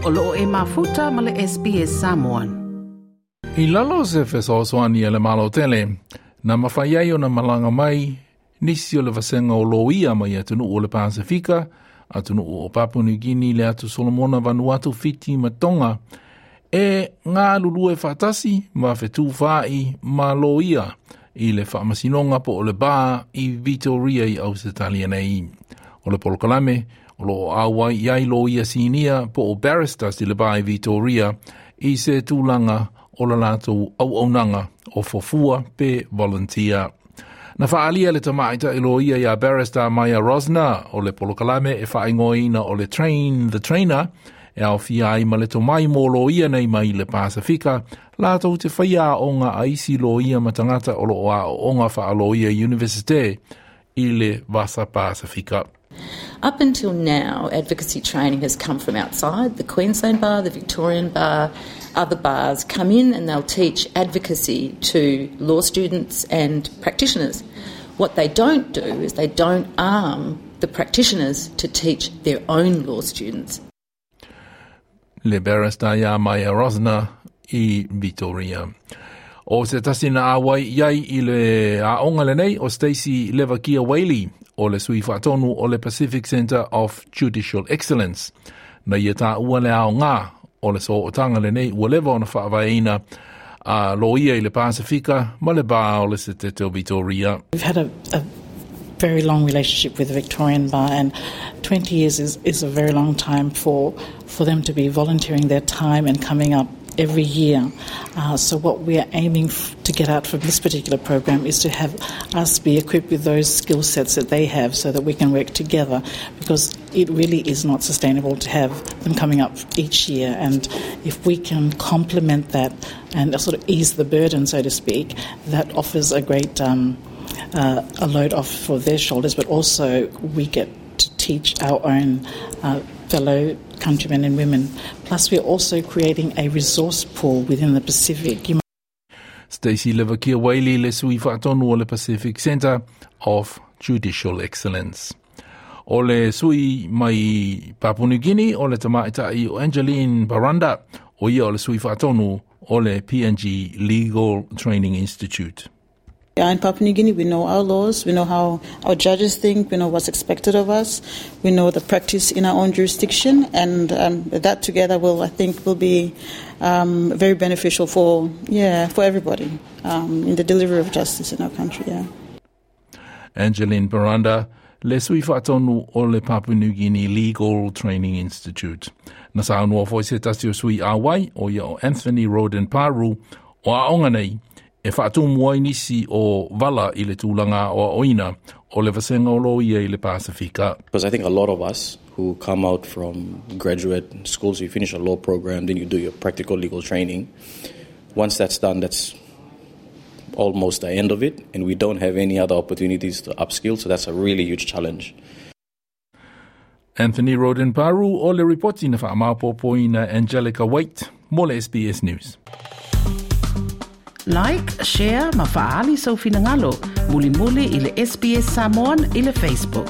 O loo e mafuta ma le SBS Samoan. I lalo o se fesoasoani a le Malo tele, na mafai ai ona malaga mai nisi o le vasega o loia mai atunuu o le Pasefika, atunuu o Papua New Guinea, le atu Solomona, Vanuatu, Fiti ma Tonga, e galulue faatasi ma fetufaai ma loia i le faamasinoga po o le bar i Victoria i Ausetalia nei. O le polokalame o lo o auai i ai loia sinia po o barristers i le bar i Victoria i se tulaga o le latou auaunaga o fuafua pe volunteer. Na faaalia le tamaitai loia iā barrister Maia Rosner o le polokalame e faaigoaina o le Train the Trainer e aofia ai ma le tomai mo loia nei mai le Pasefika latou te faia aoga a isi loia ma tagata o lo o aooga faaloia Universite i le Vasa Pasefika. Up until now, advocacy training has come from outside. The Queensland Bar, the Victorian Bar, other bars come in and they'll teach advocacy to law students and practitioners. What they don't do is they don't arm the practitioners to teach their own law students. Le barrister iā Maia Rosner i Victoria. O se tasi na auai i ai i le aoga lenei o Stacey Levakia Whaley o le sui faatonu o le Pacific Centre of Judicial Excellence. Na ia taua le aoga o le sootaga lenei ua leva ona faavaeina a loia i le Pasefika ma le bar o le Setete o Victoria. We've had a very long relationship with the Victorian Bar, and 20 years is a very long time for them to be volunteering their time and coming up every year. So what we are aiming to get out from this particular program is to have us be equipped with those skill sets that they have so that we can work together, because it really is not sustainable to have them coming up each year. And if we can complement that and sort of ease the burden, so to speak, that offers a great a load off for their shoulders, but also we get to teach our own fellow countrymen and women. Plus, we're also creating a resource pool within the Pacific. You Stacey Levakia Whaley le sui faatonu o le Pacific Centre of Judicial Excellence. O le sui mai Papua New Guinea o le tamaitai o Angeline Baranda o ia o le sui faatonu o le PNG Legal Training Institute. Yeah, in Papua New Guinea, we know our laws, we know how our judges think, we know what's expected of us, we know the practice in our own jurisdiction, and that together will, I think, will be very beneficial for everybody in the delivery of justice in our country. Yeah. Angeline Baranda, le sui faatonu o le Papua New Guinea Legal Training Institute. Na saunoa foi se tasi o sui auai o ia o Anthony Roden Paru o aoga nei e faatumu ai nisi o vala i le tulaga aoaoina o le vasega o loia i le Pasefika. Because I think a lot of us who come out from graduate schools, you finish a law program, then you do your practical legal training. Once that's done, that's almost the end of it, and we don't have any other opportunities to upskill, so that's a really huge challenge. Anthony Roden Paru o le ripoti na whaamapopoina Angelica Waite mo le SBS News. Like, share ma faali sau finagalo. Mulimuli i le SBS Samoan i le Facebook.